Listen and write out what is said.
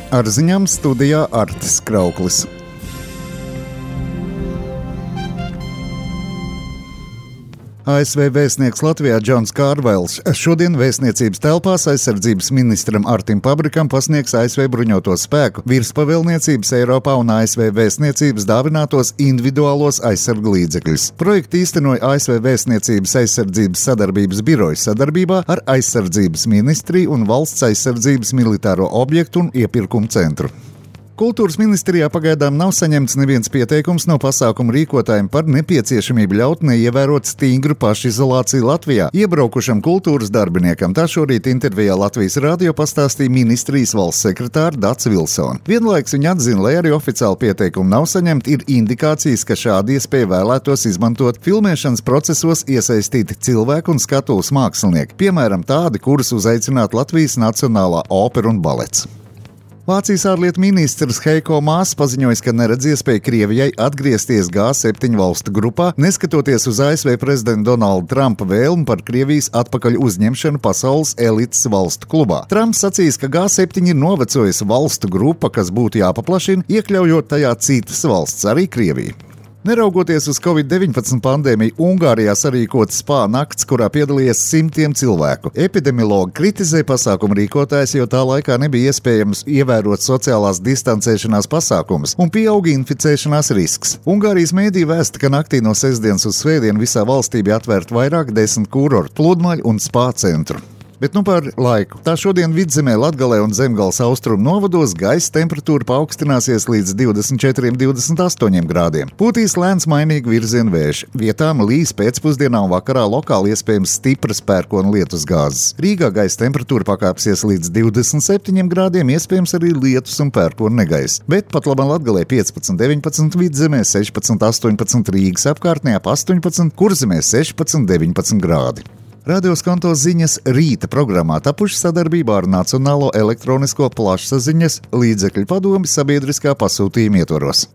Ar ziņām studijā Artis Krauklis. ASV vēstnieks Latvijā Džons Kārvails šodien vēstniecības telpās aizsardzības ministram Artim Pabrikam pasniegs ASV bruņoto spēku virspavēlniecības Eiropā un ASV vēstniecības dāvinātos individuālos aizsargu līdzekļus. Projektu īstenoja ASV vēstniecības aizsardzības sadarbības biroja sadarbībā ar aizsardzības ministriju un valsts aizsardzības militāro objektu un iepirkumu centru. Kultūras ministrijā pagaidām nav saņemts neviens pieteikums no pasākumu rīkotājiem par nepieciešamību ļaut neievērot stingru pašizolāciju Latvijā iebraukušam kultūras darbiniekam. Tā šorīt intervijā Latvijas radio pastāstīja ministrijas valsts sekretāra Dats Vilsone. Vienlaiks viņa atzina, lai arī oficiāli pieteikumi nav saņemti, ir indikācijas, ka šādi iespēja vēlētos izmantot filmēšanas procesos iesaistīti cilvēku un skatuves mākslinieki, piemēram tādi, kurus uzaicināt Latvijas Nacionālā opera un balets. Vācijas ārlietu ministrs Heiko Maas paziņoja, ka neredz iespēju Krievijai atgriezties G7 valstu grupā, neskatoties uz ASV prezidenta Donalda Trumpa vēlmi par Krievijas atpakaļ uzņemšanu pasaules elites valstu klubā. Trumps sacīs, ka G7 ir novecojusi valstu grupa, kas būtu jāpaplašina, iekļaujot tajā citas valsts, arī Krieviju. Neraugoties uz Covid-19 pandēmiju, Ungārijā sarīkota spā nakts, kurā piedalījās simtiem cilvēku. Epidemiologi kritizē pasākumu rīkotājus, jo tā laikā nebija iespējams ievērot sociālās distancēšanās pasākumus un pieauga inficēšanās risks. Ungārijas mēdī vēsta, ka naktī no sestdienas uz svētdienu visā valstī bija atvērti vairāk 10 kurortu, pludmaļu un spā centru. Bet par laiku. Tā šodien Vidzemē, Latgalē un Zemgales austrumu novados gaisa temperatūra paaugstināsies līdz 24–28 grādiem. Pūtīs lēns mainīgu virzienu vējš. Vietām līs pēcpusdienā un vakarā lokāli iespējams stipras pērkona lietus gāzes. Rīgā gaisa temperatūra pakāpsies līdz 27 grādiem, iespējams arī lietus un pērkona negaiss. Bet pat labam Latgalē 15–19, Vidzemē 16–18, Rīgas apkārtnē ap 18, Kurzemē 16–19 grādi. Radio Skanto ziņas rīta programmā tapuši sadarbībā ar Nacionālo elektronisko plašsaziņas līdzekļu padomi sabiedriskā pasūtījuma ietvaros.